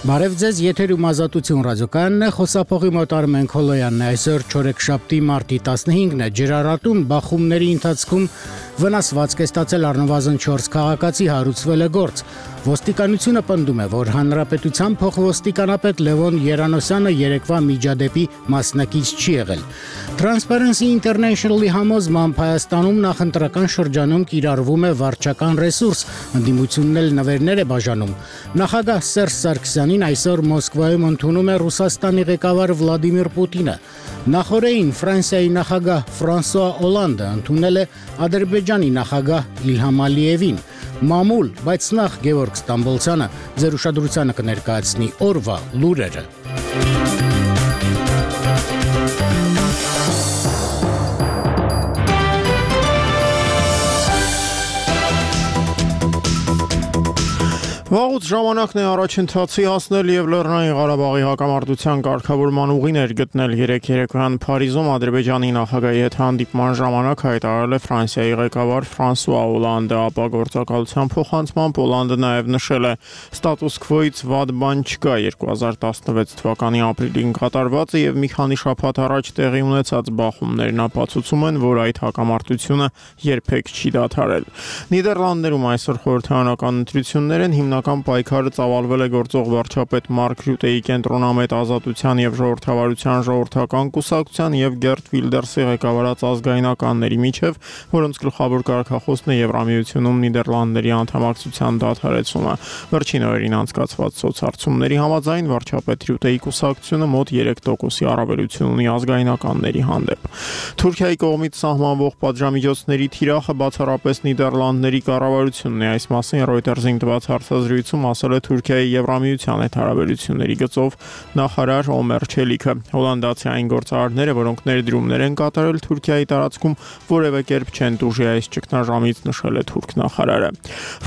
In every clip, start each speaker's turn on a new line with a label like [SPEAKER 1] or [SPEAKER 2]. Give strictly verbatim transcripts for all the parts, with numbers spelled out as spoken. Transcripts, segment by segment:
[SPEAKER 1] Բարև ձեզ, եթերում Ազատություն ռադիոկայանն է, խոսափողի մոտ Արմեն Քոլոյանն է, այսօր չորեքշաբթի մարտի տասնհինգն է, ջրառատում բախումների ընթացքում վնասվածք է ստացել առնվազն չորս քաղաքացի, հարուցվել է գործ։ Ոստիկանությունը պնդում է, որ հանրապետության փոխոստիկանապետ Լևոն Երանոսյանը երեկվա միջադեպի մասնակից չի եղել։ Transparency International-ի համոզմամբ Հայաստանում նախընտրական շրջանում կիրառվում է վարչական ռեսուրս, ընդդիմությունն էլ նվերներ է բաժանում։ Նախագահ Սերժ Սարգսյանին այսօր Մոսկվայում ընդունում է Ռուսաստանի ղեկավար Վլադիմիր Պուտինը։ Նախորդին Ֆրանսիայի նախագահ Ֆրանսուଆ Օլանդը ընդունել է Ադրբեջանի նախագահ Իլհամ Ալիևին։ Մամուլ, բայց նախ Գևորգ Ստամբոլցյանը ձեր ուշադրությանը կներկայացնի օրվա լուրերը։
[SPEAKER 2] Վաղուց ժամանակն է առաջընթացի հասնել եւ Լեռնային Ղարաբաղի հակամարտության կարգավորման ուղիներ գտնել երեք երեկոյան Փարիզում Ադրբեջանի նախագահի հետ հանդիպման ժամանակ հայտարարել է Ֆրանսիայի ղեկավար Ֆրանսուଆ Օլանդը, ապա գործակալության փոխանցմամբ Օլանդը նաեւ նշել է ստատուս քվոից վատ բան չկա երկու հազար տասնվեց թվականի ապրիլին կատարվածը եւ մի քանի շաբաթ առաջ տեղի ունեցած բախումներն ապացուցում են, որ այդ հակամարտությունը երբեք չի դադարել։ Նիդերլանդներում այսօր խորհրդարանական ընտրություններ են, հիմնական պայքարը ծավալվել է գործող վարչապետ Մարկ Ռյուտեի կենտրոնամետ Ազատության եւ ժողովրդավարության ժողովրդական կուսակցության եւ Գերտ Վիլդերսի ղեկավարած ազգայնականների միջև, որոնց գլխավոր կարգախոսն է Եվրամիությունում Նիդերլանդների անդամակցության դադարեցումը։ Վերջին օրերին անցկացված սոցհարցումների համաձայն վարչապետ Ռյուտեի կուսակցությունը մոտ երեք տոկոսի առավելություն ունի ազգայնականների հանդեպ։ Թուրքիայի կողմից սահմանվող պատժամիջոցների թիրախը բացառապես Նիդերլանդների կառավարությունն է, այս մասին Reuters-ին տված հարցազրույցում ասել է Թուրքիայի Եվրամիության հետ հարաբերությունների գծով նախարար Օմեր Չելիքը։ Հոլանդացի այն գործարարները, որոնք ներդրումներ են կատարել Թուրքիայի տարածքում, որևէ կերպ չեն տուժի այս ճգնաժամից, նշել է թուրք նախարարը։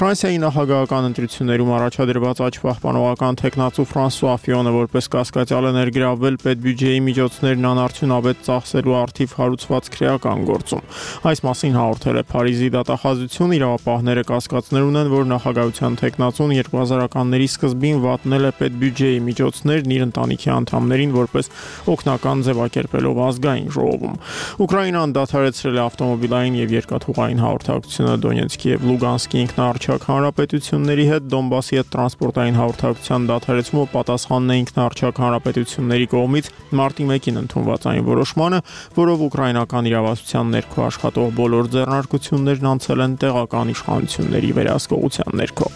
[SPEAKER 2] Ֆրանսիայի նախագահական ընտրություններում առաջադրված աճ-պահպանողական տեխնացու Ֆրանսուଆ Ֆիոնը որպես կասկածյալ է ներգրավվել պետբյուջեի միջոցներն անարդյունավետ ծախսելու առթիվ հարուցված քրեական գործում։ Այս մասին հաղորդել է Փարիզի դատախազություն, իրավապահները կասկածներ ունեն, որ նախագահության տեխնացուն երկու հազարականների սկզբին վատնել է պետբյուջեի միջոցներն իր ընտանիքի անդամներին որպես օգնական ձևակերպելով ազգային ժողովում։ Ուկրաինան դադարեցրել է ավտոմոբիլային եւ երկաթուղային հաղորդակցությունը Դոնեցկի եւ Լուգանսկի ինքնաառչակ հանրապետությունների հետ, Դոնբասի հետ տրանսպորտային հաղորդակցության դադարեցումը պատասխանն է ինքնաառչակ հանրապետությունների կողմից մարտի մեկին ընդունված այն որոշմանը, որով ուկրաինական իրավասության ներքո աշխատող բոլոր ձեռնարկություններն անցել են տեղական իշխանությունների վերահսկողության ներքո։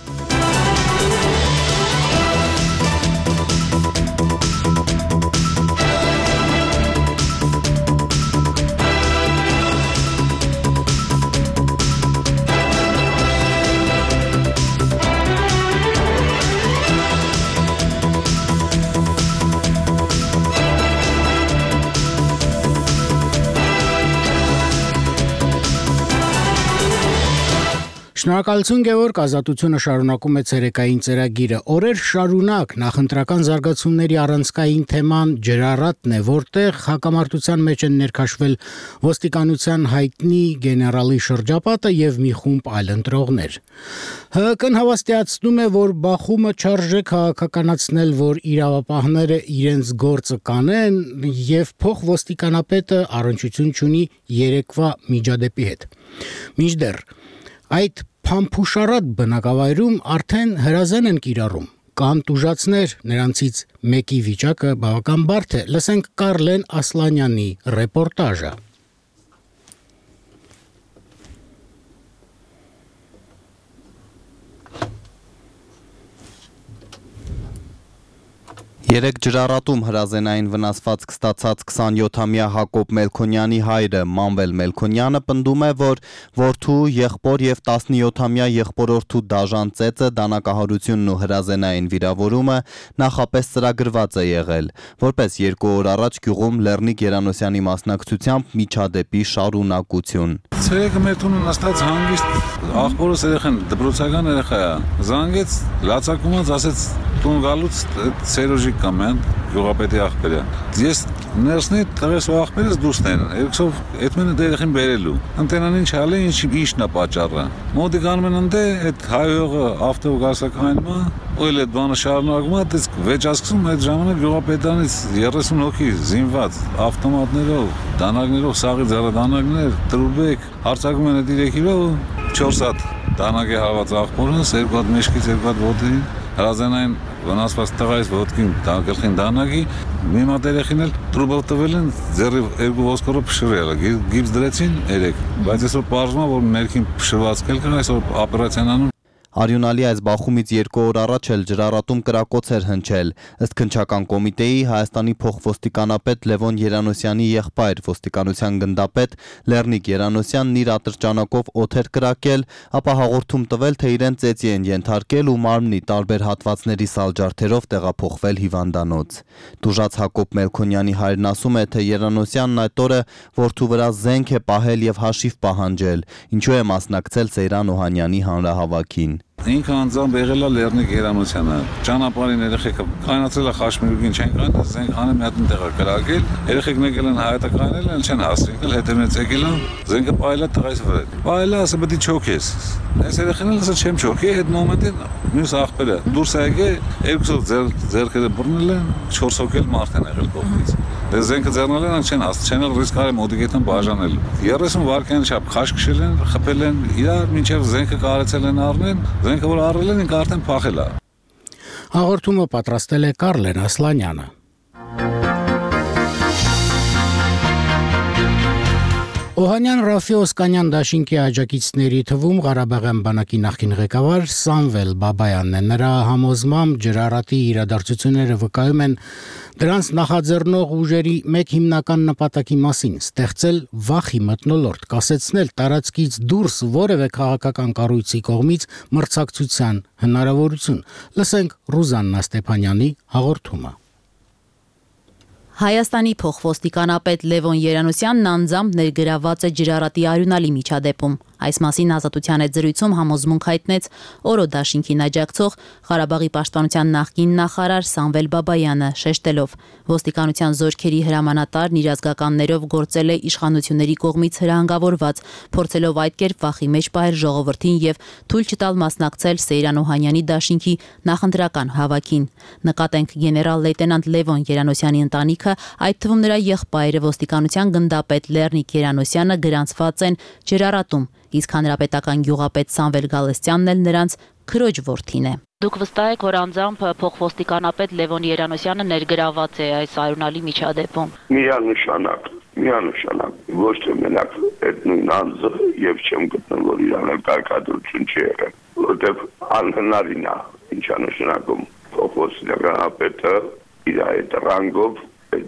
[SPEAKER 1] Շնորհակալություն Գևորգ, Ազատությունը շարունակում է ցերեկային ծրագիրը։ Օրեր շարունակ նախընտրական զարգացումների առանցքային թեման ջրառատն է, որտեղ հակամարտության մեջ են ներքաշվել ոստիկանության հայտնի գեներալի շրջապատը եւ մի խումբ այլ ընտրողներ։ ՀՀԿ-ն հավաստիացնում է, որ բախումը չարժե քաղաքականացնել, որ իրավապահները իրենց գործը կանեն եւ փոխոստիկանապետը առնչություն չունի երեկվա միջադեպի հետ։ Մինչդեռ այդ փամփուշառատ բնակավայրում արդեն հրազեն են կիրառում։ Կան տուժածներ, նրանցից մեկի վիճակը բավական բարդ է։ Լսենք Կարլեն Ասլանյանի ռեպորտաժը։
[SPEAKER 3] Երեք ջրառատում հրազենային վնասվածք ստացած քսանյոթամյա Հակոբ Մելքոնյանի հայրը Մանվել Մելքոնյանը պնդում է, որ որդու, եղբոր եւ տասնյոթամյա եղբորորդու դաժան ծեծը, դանակահարությունն ու հրազենային վիրավորումը նախապես ծրագրված է եղել, որպես երկու օր առաջ գյուղում Լեռնիկ Երանոսյանի մասնակցությամբ միջադեպի շարունակություն։
[SPEAKER 4] Ցերեկը մեր տունը նստած հանգիստ աղբորս երեխան դպրոցական երեխա է, զանգեց, լացակումած ասեց տուն գալուց Սերոժի կամեն գյուղապետի աղբերը։ Ես ներսնի տղես ու աղբերս դուսն են, երկսով այդ մենը դերեխին բերելու։ Ընտենան ինչ հալի, ինչն է պատճառը։ Մոտի գանում են ընդ այդ հայողը ավտո գասակայինը ու էլ այդ բանը շարունակվում է, իսկ վեճասկսում այդ ժամանակ գյուղապետանից երեսուն հոգի զինված ավտոմատներով, դանակներով, սաղի ձեռադանակներ, տրուբեք, հարձակվում են այդ երեք իրով ու չորս հատ դանակ է հարված աղբորս, երկու հատ մեջքից, երկու հատ ոտերին, հրազենային վնասված տղայից ոտքին գլխին դանակի, մի մատ երեխին էլ տրուբով տվել են, ձեռի երկու ոսկորով փշրել, գիպս դրեցին երեք, բայց այսօր պարզվում է, որ ներքին փշրված կել կան, այսօր օպերացիան անում։
[SPEAKER 3] Արյունալի այս բախումից երկու օր առաջ էլ ջրառատում կրակոց էր հնչել, ըստ քննչական կոմիտեի Հայաստանի փոխոստիկանապետ Լևոն Երանոսյանի եղբայր ոստիկանության գնդապետ Լեռնիկ Երանոսյանն իր ատրճանակով օդ էր կրակել, ապա հաղորդում տվել, թե իրեն ծեծի են ենթարկել ու մարմնի տարբեր հատվածների սալջարդերով տեղափոխվել հիվանդանոց։ Տուժած Հակոբ Մելքոնյանի հայրն ասում է, թե Երանոսյանն այդ օրը որդու վրա զենք է պահել եւ հաշիվ պահանջել, ինչու է մասնակցել Սեյրան Օհանյանի հանրահավաքին։
[SPEAKER 4] Ինքը անձամբ եղել է Լեռնիկ Երանոսյանը, ճանապարհին երեխեքը կանացել է խաշմիրուկին չեն կանել, զենք հանը մի հատ տեղ կրակել, երեխեքն եկել են հայտը կանել են, չեն հասցրել, հետևից եկել են, զենքը պայել է տղայից վրա։ Պայել է, ասա պետք է չոքես։ Այս երեխեն էլ ասա չեմ չոքի, այդ մոմենտին մյուս աղբերը դուրս է եկել, երկուսով ձեր ձեռքերը բռնել են, չորս հոգել մարդ են եղել կողմից։ Դե զենքը ձեռնել են, չեն հասցրել, չեն էլ ռիսկ արել մոդիկետն բաժանել։ երեսուն վայրկյան չափ քաշ քշել են, խփել են, իրար մինչև զենքը կարեցել են առնեն, զենքը որ առել են, ինքը արդեն փախել է։
[SPEAKER 1] Հաղորդումը պատրաստել է Կարլեն Ասլանյանը։ Օհանյան Ռաֆի Օսկանյան դաշինքի աջակիցների թվում Ղարաբաղյան բանակի նախկին ղեկավար Սամվել Բաբայանն է։ Նրա համոզմամբ ջրառատի իրադարձությունները վկայում են դրանց նախաձեռնող ուժերի մեկ հիմնական նպատակի մասին՝ ստեղծել վախի մթնոլորտ, կասեցնել տարածքից դուրս որևէ քաղաքական կառույցի կողմից մրցակցության հնարավորություն։ Լսենք Ռուզաննա Ստեփանյանի հաղորդումը։
[SPEAKER 5] Հայաստանի փոխոստիկանապետ Լևոն Երանոսյանն անձամբ ներգրաված է ջրառատի արյունալի միջադեպում։ Այս մասին Ազատության հետ զրույցում համոզմունք հայտնեց Օրո դաշինքին աջակցող Ղարաբաղի պաշտպանության նախկին նախարար Սամվել Բաբայանը, շեշտելով. ոստիկանության զորքերի հրամանատարն իր ազգականներով գործել է իշխանությունների կողմից հրահանգավորված, փորձելով այդ կերպ վախի մեջ պահել ժողովրդին եւ թույլ չտալ մասնակցել Սեյրան Օհանյանի դաշինքի նախընտրական հավաքին։ Նկատենք գեներալ լեյտենանտ Լևոն Երանոսյանի ընտանիքը, այդ թվում նրա եղբայրը ոստիկանության գնդապետ Լեռնիկ Երանոսյանը գրանցված են ջրառատում, իսկ հանրապետական գյուղապետ Սամվել Գալստյանն էլ նրանց քրոջ որդին է։ Դուք վստահ եք, որ անձամբ փոխոստիկանապետ Լևոն Երանոսյանը ներգրաված է այս արյունալի միջադեպում։
[SPEAKER 6] Միանշանակ, միանշանակ, ոչ թե մենակ այդ նույն անձը եւ չեմ գտնում, որ իրան կարգադրություն չի եղել, որտեղ անհնարին է, ինչա նշանակում փոխոստիկանապետը իր այդ ռանգով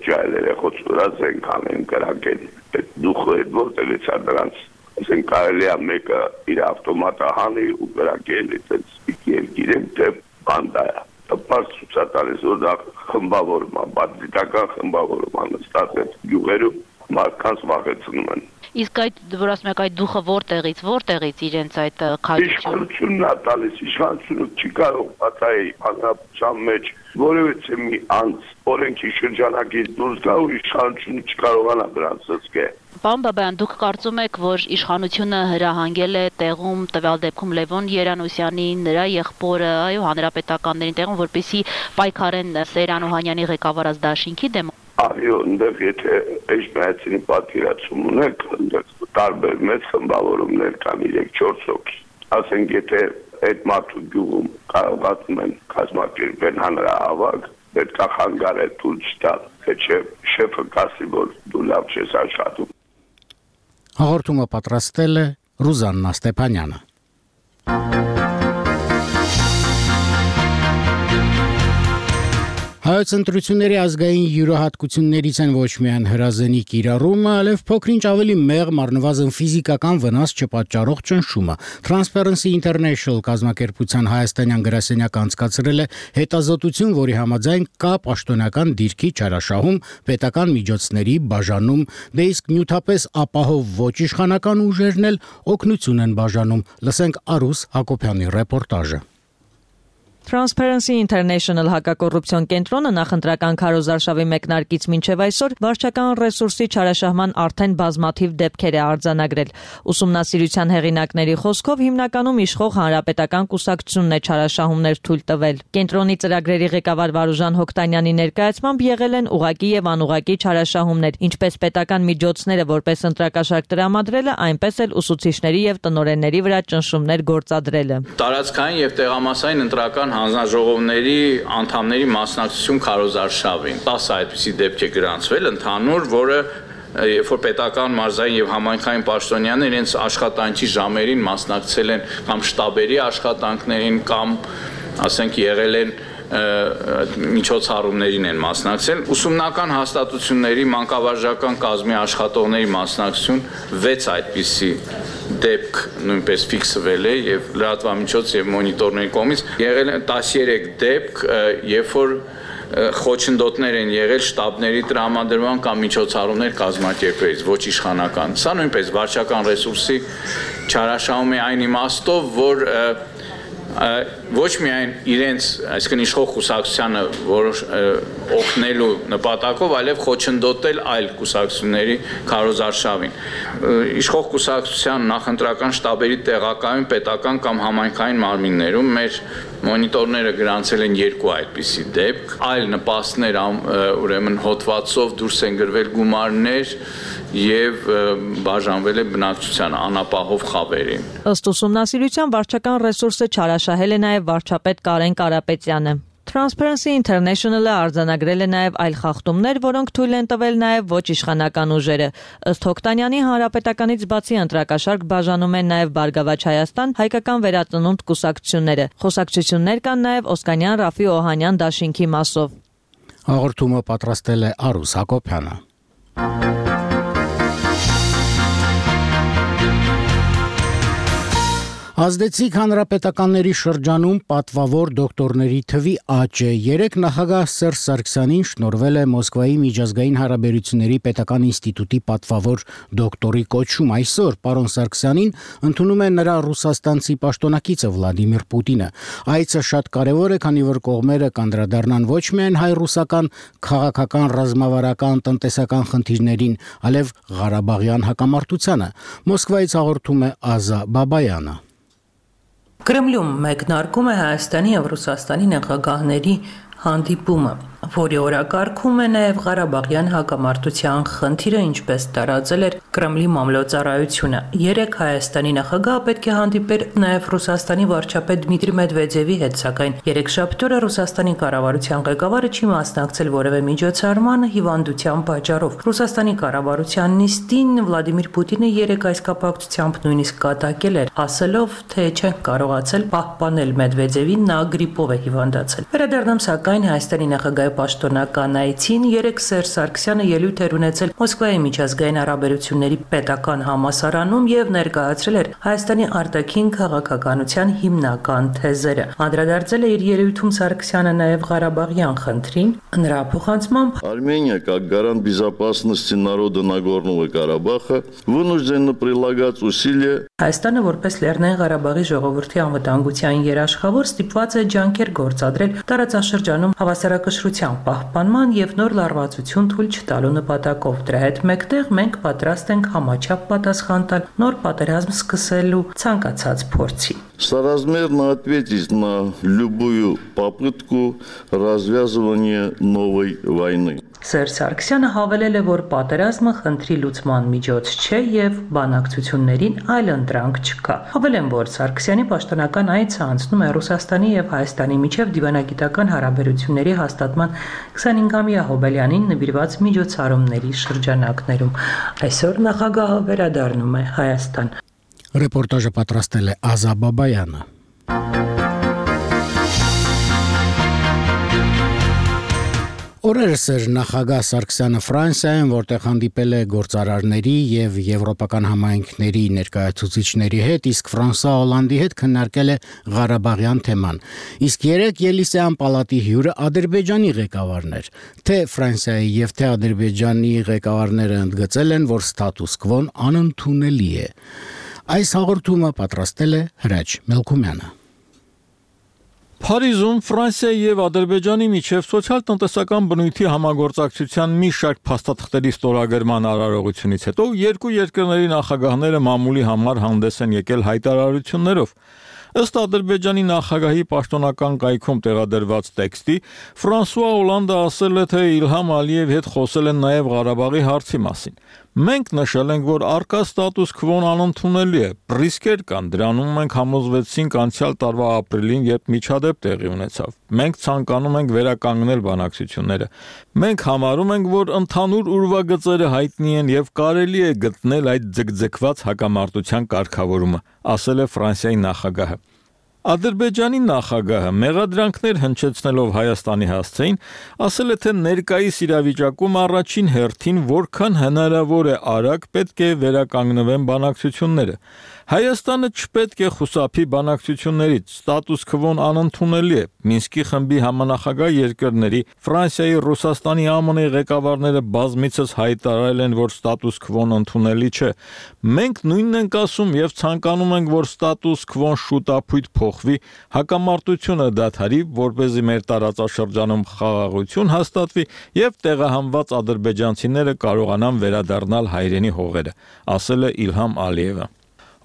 [SPEAKER 6] ջայլերը խոցուրած են կանեն կրակեն, այդ դուխը այդ որտեղից է դրանց ասեն կարելի է մեկը իր ավտոմատը հանի ու կրակել այդպես երկիրը դե բանդա է պարզ ցուցատալիս որ դա խմբավորում է բացիկական խմբավորում է նստած այդ գյուղերում մարդկանց վախեցնում են։
[SPEAKER 5] Իսկ այդ որ ասում եք այդ դուխը որտեղից որտեղից իրենց այդ քաջությունը
[SPEAKER 6] իշխանությունն է տալիս, իշխանությունը չի կարող պատահի հանրապետության մեջ որևէ մի անձ օրենքի շրջանակից դուրս գա ու իշխանությունը չկարողանա դրանց զսկել։
[SPEAKER 5] Պարոն Բաբայան, դուք կարծում եք, որ իշխանությունը հրահանգել է տեղում տվյալ դեպքում Լևոն Երանոսյանին, նրա եղբորը, այո, հանրապետականներին տեղում, որպեսզի պայքարեն Սեյրան Օհանյանի ղեկավարած դաշինքի դեմ։
[SPEAKER 6] Այո, այնտեղ եթե էջմայցի պատկերացում ունեք, այնտեղ տարբեր մեծ խմբավորումներ կան երեք-չորս հոգի։ Ասենք եթե այդ մարդու գյուղում կարողացնում են կազմակերպել հանրահավաք, պետք է խանգարել թույլ չտալ, թե չէ շեֆը կասի, որ դու լավ չես աշխատում։
[SPEAKER 1] Հաղորդումը պատրաստել է Ռուզաննա Ստեփանյանը։ Հայոց ընտրությունների ազգային յուրահատկություններից են ոչ միայն հրազենի կիրառումը, այլև փոքրինչ ավելի մեղմ առնվազն ֆիզիկական վնաս չպատճառող ճնշումը։ Transparency International կազմակերպության հայաստանյան գրասենյակը անցկացրել է հետազոտություն, որի համաձայն կա պաշտոնական դիրքի չարաշահում, պետական միջոցների բաժանում, դե իսկ նյութապես ապահով ոչ իշխանական ուժերն էլ օգնություն են բաժանում։ Լսենք Արուս Հակոբյանի ռեպորտաժը։
[SPEAKER 7] Transparency International հակակոռուպցիոն կենտրոնը նախընտրական քարոզարշավի մեկնարկից մինչև այսօր վարչական ռեսուրսի չարաշահման արդեն բազմաթիվ դեպքեր է արձանագրել։ Ուսումնասիրության հեղինակների խոսքով հիմնականում իշխող հանրապետական կուսակցությունն է չարաշահումներ թույլ տվել։ Կենտրոնի ծրագրերի ղեկավար Վարուժան Հոկտանյանի ներկայացմամբ եղել են ուղղակի եւ անուղղակի չարաշահումներ, ինչպես պետական միջոցները որպես ընտրակաշարք տրամադրելը, այնպես էլ ուսուցիչների եւ տնօրենների վրա ճնշումներ գործադրելը։
[SPEAKER 8] Տարածքային եւ տեղամասային ընտրական հանձնաժողովների անդամների մասնակցություն քարոզարշավին տասը այդպիսի դեպք է գրանցվել ընդհանուր, որը երբ որ պետական մարզային եւ համայնքային պաշտոնյաներ իրենց աշխատանքի ժամերին մասնակցել են կամ շտաբերի աշխատանքներին կամ ասենք եղել են միջոցառումներին են մասնակցել, ուսումնական հաստատությունների մանկավարժական կազմի աշխատողների մասնակցություն վեց այդպիսի դեպք նույնպես ֆիքսվել է եւ լրատվամիջոց եւ մոնիտորների կողմից եղել են տասներեք դեպք, երբ որ խոչընդոտներ են եղել շտաբների տրամադրման կամ միջոցառումներ կազմակերպելիս, ոչ իշխանական։ Սա նույնպես վարչական ռեսուրսի չարաշահում է այն իմաստով, որ ոչ միայն իրենց, այսինքն իշխող կուսակցությանը որոշ օգնելու նպատակով, այլև խոչընդոտել այլ կուսակցությունների քարոզարշավին։ Իշխող կուսակցության նախընտրական շտաբերի տեղակայում պետական կամ համայնքային մարմիններում մեր մոնիտորները գրանցել են երկու այդպիսի դեպք, այլ նպաստներ ուրեմն հոդվածով դուրս են գրվել գումարներ եւ բաժանվել է բնակչության անապահով խավերին։
[SPEAKER 7] Ըստ ուսումնասիրության վարչական ռեսուրսը չարաշահել է նաեւ վարչապետ Կարեն Կարապետյանը։ Transparency International-ը արձանագրել է նաև այլ խախտումներ, որոնք թույլ են տվել նաև ոչ իշխանական ուժերը։ Ըստ Հոկտանյանի, հանրապետականից բացի ընտրակաշարք բաժանում են նաև Բարգավաճ Հայաստան, Հայկական վերածնունդ կուսակցությունները։ Խոսակցություններ կան նաև Օսկանյան Ռաֆի Օհանյան դաշինքի մասով։
[SPEAKER 1] Հաղորդումը պատրաստել է Արուս Հակոբյանը։ Ազդեցիկ հանրապետականների շրջանում պատվավոր դոկտորների թվի աճ է։ Երեք նախագահ Սերժ Սարգսյանին շնորհվել է Մոսկվայի միջազգային հարաբերությունների պետական ինստիտուտի պատվավոր դոկտորի կոչում։ Այսօր պարոն Սարգսյանին ընդունում է նրա ռուսաստանցի պաշտոնակիցը Վլադիմիր Պուտինը։ Այցը շատ կարևոր է, քանի որ կողմերը կանդրադառնան ոչ միայն հայ-ռուսական քաղաքական, ռազմավարական, տնտեսական խնդիրներին, այլև Ղարաբաղյան հակամարտությանը։ Մոսկվայից հաղորդում է Ազա Բաբայանը։
[SPEAKER 9] Կրեմլում մեկնարկում է Հայաստանի եւ Ռուսաստանի նախագահների հանդիպումը, որի օրակարգում է նաև Ղարաբաղյան հակամարտության խնդիրը, ինչպես տարածել էր Կրեմլի մամլոյցարայությունը։ Երեք Հայաստանի նախագահը պետք է հանդիպեր նաև Ռուսաստանի վարչապետ Դմիտրի Մեդվեդևի հետ, սակայն երեքշաբթի օրը Ռուսաստանի կառավարության ղեկավարը չի մասնակցել որևէ միջոցառմանը հիվանդության պատճառով։ Ռուսաստանի կառավարության նիստին Վլադիմիր Պուտինը երեք այս կապակցությամբ նույնիսկ կատակել էր, ասելով, թե չեն կարողացել պահպանել Մեդվեդևին, նա գրիպով է հիվանդացել։ Վերադառնամ սակայն Հայաստանի նախագահի պաշտոնական այցին երեք Սերժ Սարգսյանը ելույթ էր ունեցել Մոսկվայի միջազգային հարաբերությունների պետական համալսարանում եւ ներկայացրել էր Հայաստանի արտաքին քաղաքականության հիմնական թեզերը։ Անդրադարձել է իր ելույթում Սարգսյանը նաեւ Ղարաբաղյան խնդրին, նրա փոխանցմամբ
[SPEAKER 10] Армения, как гарант безопасности народа Нагорного Карабаха, вынуждена прилагать усилия
[SPEAKER 9] Հայաստանը որպես Լեռնային Ղարաբաղի ժողովրդի անվտանգության երաշխավոր ստիպված է ջանքեր գործադրել տարածաշրջանում հավասարակշռության պահպանման եւ նոր լարվածություն թույլ չտալու նպատակով։ Դրա հետ մեկտեղ մենք պատրաստ ենք համաչափ պատասխան տալ նոր պատերազմ սկսելու ցանկացած փորձի։
[SPEAKER 10] соразмерно ответить на любую попытку развязывания новой войны.
[SPEAKER 9] Սերժ Սարգսյանը հավելել է, որ պատերազմը խնդրի լուծման միջոց չէ եւ բանակցություններին այլ ընտրանք չկա։ Հավելեմ, որ Սարգսյանի պաշտոնական այցը անցնում է Ռուսաստանի եւ Հայաստանի միջև դիվանագիտական հարաբերությունների հաստատման քսանհինգամյա հոբելյանին նվիրված միջոցառումների շրջանակներում։ Այսօր նախագահը վերադառնում է Հայաստան։
[SPEAKER 1] Ռեպորտաժը պատրաստել է Ազա Բաբայանը։ Օրերս էր նախագահ Սարգսյանը Ֆրանսիայում, որտեղ հանդիպել է գործարարների եւ եվրոպական համայնքների ներկայացուցիչների հետ, իսկ Ֆրանսա Հոլանդի հետ քննարկել է Ղարաբաղյան թեման։ Իսկ երեք Ելիսեյան պալատի հյուրը Ադրբեջանի ղեկավարն էր։ Թե Ֆրանսիայի եւ թե Ադրբեջանի ղեկավարները ընդգծել են, որ ստատուս քվոն անընդունելի է։ Այս հաղորդումը պատրաստել է Հրաչ Մելքումյանը։
[SPEAKER 2] Փարիզում Ֆրանսիայի եւ Ադրբեջանի միջև սոցիալ-տնտեսական բնույթի համագործակցության մի շարք փաստաթղթերի ստորագրման արարողությունից հետո երկու երկրների նախագահները մամուլի համար հանդես են եկել հայտարարություններով։ Ըստ Ադրբեջանի նախագահի պաշտոնական կայքում տեղադրված տեքստի, Ֆրանսուଆ Օլանդը ասել է, թե Իլհամ Ալիևի հետ խոսել են նաև Ղարաբաղի հարցի մասին։ Մենք նշել ենք, որ առկա ստատուս քվոն անընդունելի է, ռիսկեր կան, դրանում մենք համոզվեցինք անցյալ տարվա ապրիլին, երբ միջադեպ տեղի ունեցավ։ Մենք ցանկանում ենք վերականգնել բանակցությունները։ Մենք համարում ենք, որ ընդհանուր ուրվագծերը հայտնի են եւ կարելի է գտնել այդ ձգձգված հակամարտության կարգավորումը, ասել է Ֆրանսիայի նախագահը։ Ադրբեջանի նախագահը մեղադրանքներ հնչեցնելով Հայաստանի հասցեին, ասել է, թե ներկայիս իրավիճակում առաջին հերթին որքան հնարավոր է արագ պետք է վերականգնվեն բանակցությունները։ Հայաստանը չպետք է խուսափի բանակցություններից, ստատուս քվոն անընդունելի է։ Մինսկի խմբի համանախագահ երկրների Ֆրանսիայի, Ռուսաստանի, ԱՄՆ-ի ղեկավարները բազմիցս հայտարարել են, որ ստատուս քվոն ընդունելի չէ։ Մենք նույնն ենք ասում եւ ցանկանում ենք, որ ստատուս քվոն շուտապույտ փոխվի, հակամարտությունը դադարի, որպեսզի մեր տարածաշրջանում խաղաղություն հաստատվի եւ տեղահանված ադրբեջանցիները կարողանան վերադառնալ հայրենի հողերը, ասել է Իլհամ Ալիևը։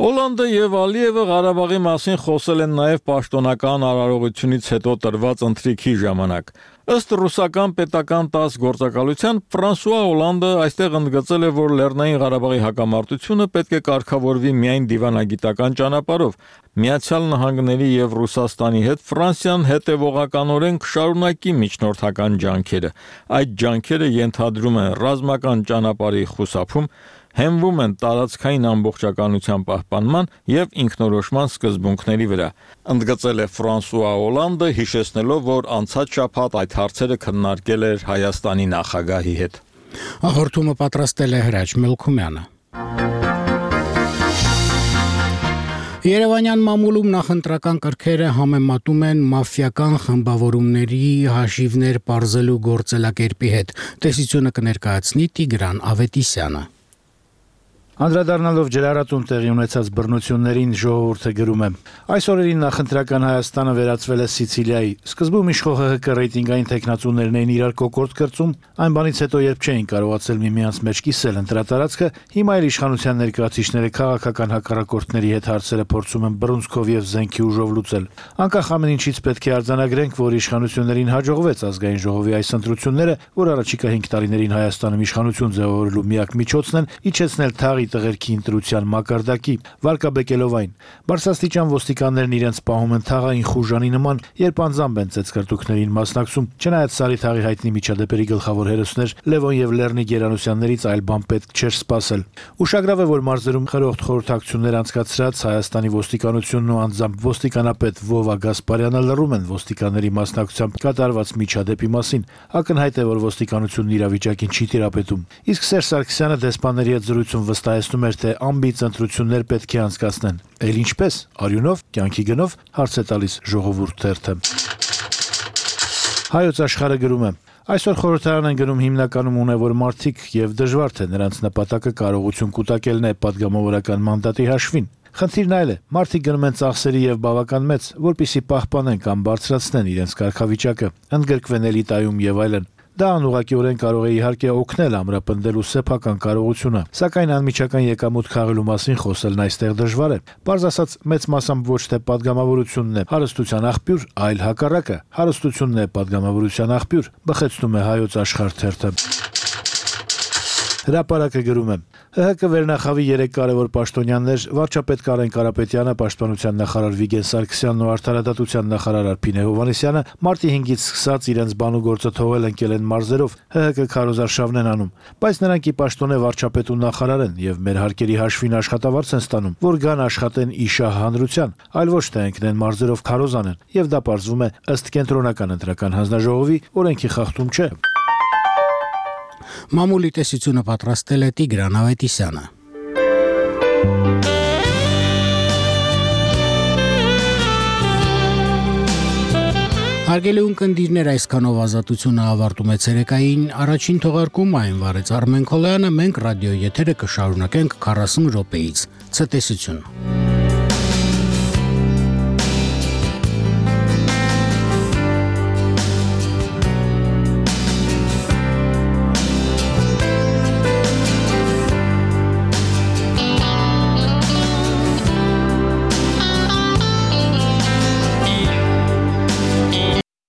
[SPEAKER 2] Օլանդը եւ Ալիևը Ղարաբաղի մասին խոսել են նաև պաշտոնական արարողությունից հետո տրված ընթրիքի ժամանակ։ Ըստ ռուսական պետական տաս գործակալության, Ֆրանսուଆ Օլանդը այստեղ ընդգծել է, որ Լեռնային Ղարաբաղի հակամարտությունը պետք է կարգավորվի միայն դիվանագիտական ճանապարհով։ Միացյալ Նահանգների եւ Ռուսաստանի հետ Ֆրանսիան հետեւողականորեն կշարունակի միջնորդական ջանքերը։ Այդ ջանքերը ենթադրում են ռազմական ճանապարհի խուսափում, հենվում են տարածքային ամբողջականության պահպանման եւ ինքնորոշման սկզբունքների վրա, ընդգծել է Ֆրանսուଆ Օլանդը, հիշեցնելով, որ անցած շաբաթ այդ հարցերը քննարկել էր Հայաստանի նախագահի հետ։
[SPEAKER 1] Հաղորդումը պատրաստել է Հրաչ Մելքումյանը։ Երևանյան մամուլում նախընտրական կրքերը համեմատում են մաֆիական խմբավորումների հաշիվներ պարզելու գործելակերպի հետ։ Տեսությունը կներկայացնի Տիգրան Ավետիսյանը։
[SPEAKER 11] Անդրադառնալով ջրառատում տեղի ունեցած բռնություններին, ժողովուրդը գրում է. Այս օրերին նախընտրական Հայաստանը վերածվել է Սիցիլիայի։ Սկզբում իշխող ՀՀԿ ռեյտինգային տեխնացուներն էին իրար կոկորդ կրծում, այն բանից հետո երբ չէին կարողացել միմյանց մեջ կիսել ընտրատարածքը, հիմա էլ իշխանության ներկայացուցիչները քաղաքական հակառակորդների հետ հարցերը փորձում են բռունցքով եւ զենքի ուժով լուծել։ Անկախ ամեն ինչից պետք է արձանագրենք, որ իշխանություններին հաջողվեց ազգային ժողովի այս ընտրությունները, որ առաջիկա հինգ տարիներին Հայաստանում իշխանություն ձևավորելու միակ միջոցն են, իջեցնել թաղի տղերքի ընտրության մակարդակի, վարկաբեկելով այն։ Բարձրաստիճան ոստիկաններն իրենց պահում են թաղային խուժանի նման, երբ անձամբ են ծեծկրտուքներին մասնակցում, չնայած Սարի թաղի հայտնի միջադեպերի գլխավոր հերոսներ Լևոն եւ Լեռնիկ Գերանոսյաններից այլ բան պետք չէր սպասել։ Ուշագրավ է, որ մարզերում խրոխտ խորհրդակցություններ անցկացրած Հայաստանի ոստիկանությունն ու անձամբ ոստիկանապետ Վովա Գասպարյանը լռում են ոստիկանների մասնակցությամբ կատարված միջադեպի մասին։ Ակնհայտ է, որ ոստիկանությունն իրավիճակին չի տիրապետում։ Իսկ Սերժ Սարգսյանը դեսպանների հետ զրույցում վստահեցնում էր, թե ամբից ընտրություններ պետք է անցկացնեն։ Էլ ինչպես, արյունով, կյանքի գնով, հարց է տալիս Ժողովուրդ թերթը։ Հայոց աշխարհը գրում է. Այսօր խորհրդարան են գնում հիմնականում ունևոր մարդիկ եւ դժվար թե նրանց նպատակը կարողություն կուտակելն է падգամավորական մանդատի հաշվին։ Խնդիրն այլ է, մարդիկ գնում են ծախսերի եւ բավական մեծ, որպիսի պահպանեն կամ բարձրացնեն իրենց կարգավիճակը, ընդգրկվեն էլիտայում եւ այլն։ Դա անուղղակիորեն կարող է իհարկե օգնել ամրապնդելու սեփական կարողությունը, սակայն անմիջական եկամուտ քաղելու մասին խոսելն այստեղ դժվար է։ Պարզ ասած, մեծ մասամբ ոչ թե падգամավորությունն է հարստության աղբյուր, այլ հակառակը, հարստությունն է падգամավորության աղբյուր, բխեցնում է Հայոց աշխարհ թերթը։ Հրապարակը գրում է. ՀՀԿ վերնախավի երեք կարևոր պաշտոնյաներ վարչապետ Կարեն Կարապետյանը, պաշտպանության նախարար Վիգեն Սարգսյանն ու արդարադատության նախարար Արփինե Հովհաննիսյանը մարտի հինգից սկսած իրենց բանուգործը թողել ընկել են մարզերով, ՀՀԿ քարոզարշավն են անում, բայց նրանք ի պաշտոնե վարչապետ ու նախարար են եւ մեր հարկերի հաշվին աշխատավարձ են ստանում, որ գան աշխատեն իշահ հանրության, այլ ոչ թե ընկնեն մարզերով քարոզ անեն, եւ դա պարզվում է ըստ կենտրոնական ընտրական հանձնաժողովի օրենքի խախտում չէ։
[SPEAKER 1] Մամուլի տեսությունը պատրաստել է Տիգրան Ավետիսյանը։ Հարգելի ունկնդիրներ, այսքանով ազատությունը ավարտում է ցերեկային առաջին թողարկումը, այն վարեց Արմեն Քոլյանը, մենք ռադիո եթերը կշարունակենք քառասուն րոպեից։ Ցտեսություն։